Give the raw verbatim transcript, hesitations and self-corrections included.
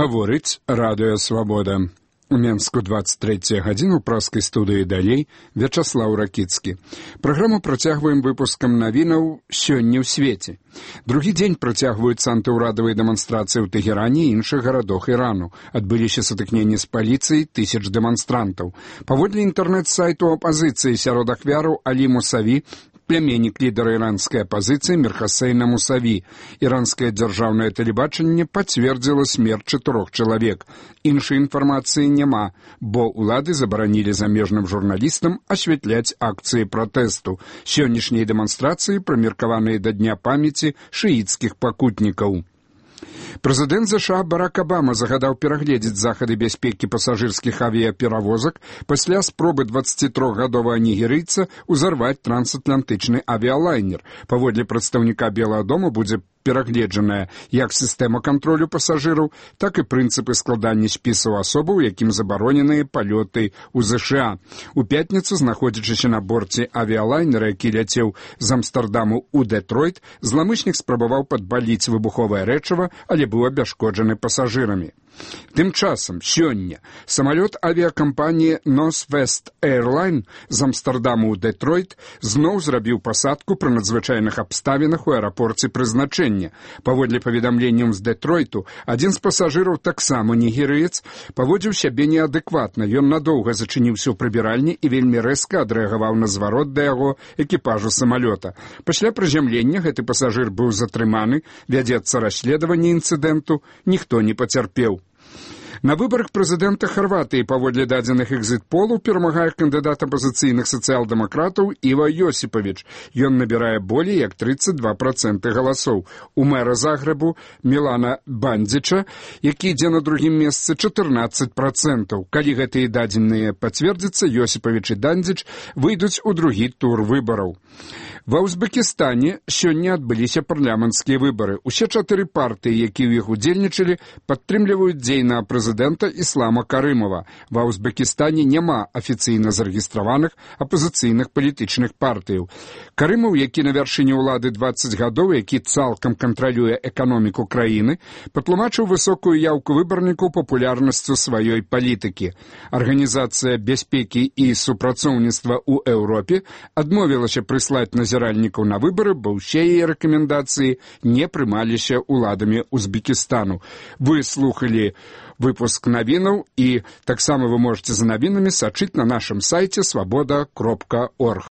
Гаворыць радыё «Свабода». У Менску двадцать третья гадзіна, у праскай студыі далей Вячаслаў Ракіцкі. Праграму працягваем выпускам навінаў сёння ў свеце. Другі дзень працягваюцца антыўрадавыя дэманстрацыі ў Тэгеране і іншых гарадах Ірану. Адбыліся сутыкненні з паліцыяй тысяч дэманстрантаў. Паводле інтэрнэт-сайту апазіцыі сярод ахвяраў Алі Мусаві, племяннік лідара іранскай апазіцыі Мір Хасейна Мусаві. Іранскае дзяржаўнае тэлебачанне пацвердзіла смерць чатырох чалавек. Іншай інфармацыі няма, бо ўлады забаранілі замежным журналістам асвятляць акцыі пратэсту. Сённяшнія дэманстрацыі прымеркаваныя да дня памяці шыіцкіх пакутнікаў. Прэзідэнт ЗША Барак Абама загадаў перагледзець захады бяспекі пасажырскіх авіяперавозак пасля спробы дваццацітрохгадовага нігерыйца ўзарваць трансатлантычны авіялайнер. Паводле прадстаўніка Белага дома будзе перагледжаная як сістэма кантролю пасажыраў, так і прынцыпы складання спісаў асобаў, якім забароненыя палёты ў ЗША. У пятніцу, знаходзячыся на борце авіялайнера, які ляцеў з Амстэрдаму ў Дэтройт, зламычнік спрабаваў падпаліць выбуховае рэчыва, але быў абясшкоджаны пасажырамі. Тым часам, сёння, самалёт авіякампаніі Northwest Airlines з Амстэрдаму ў Дэтройт зноў зрабіў пасадку пры надзвычайных абставінах у аэрапорце прызначэння. Паводле паведамленняў з Дэтройту, адзін з пасажыраў, таксама нігерыец, паводзіў сябе неадэкватна. Ён надоўга зачыніўся ў прыбіральні і вельмі рэзка адрэагаваў на зварот да яго экіпажу самалёта. Пасля прызямлення гэты пасажыр быў затрыманы, вядзецца расследаванне інцыдэнту, ніхто не пацярпеў. На выбарах прэзідэнта Харватыі паводле дадзеных экзіт-полаў перамагае кандыдат апазіцыйных сацыял-дэмакратаў Іва Йосіпавіч. Ён набірае болей як тридцать два проценты галасоў. У мэра Загрэбу Мілана Бандзіча, які ідзе на другім месцы, чатырнаццаць процентаў. Калі гэтыя дадзеныя пацвердзяцца, Йосіпавіч і Бандзіч выйдуць у другі тур выбараў. Ва Узбекістане сёння адбыліся парламенцкія выбары. Усе чатыры партыі, якія ў іх удзельнічалі, падтрымліваюць дзейнага прэзідэнта Іслама Карымова. Ва Узбекістане няма афіцыйна зарэгістраваных апазіцыйных палітычных партыяў. Карымаў, які на вяршыні ўлады дваццаць гадоў, які цалкам кантралюе эканоміку краіны, патлумачыў высокую яўку выбарнікаў папулярнасцю сваёй палітыкі. Арганізацыя бяспекі і супрацоўніцтва ў Еўропе адмовілася прыслаць назіральнікаў на выбары, бо ўсе яе рэкамендацыі не прымаліся ўладамі Узбекістану. Вы слухалі выпуск навінаў, і таксама вы можете за навінамі сачыць на нашым сайце свабода кропка орг.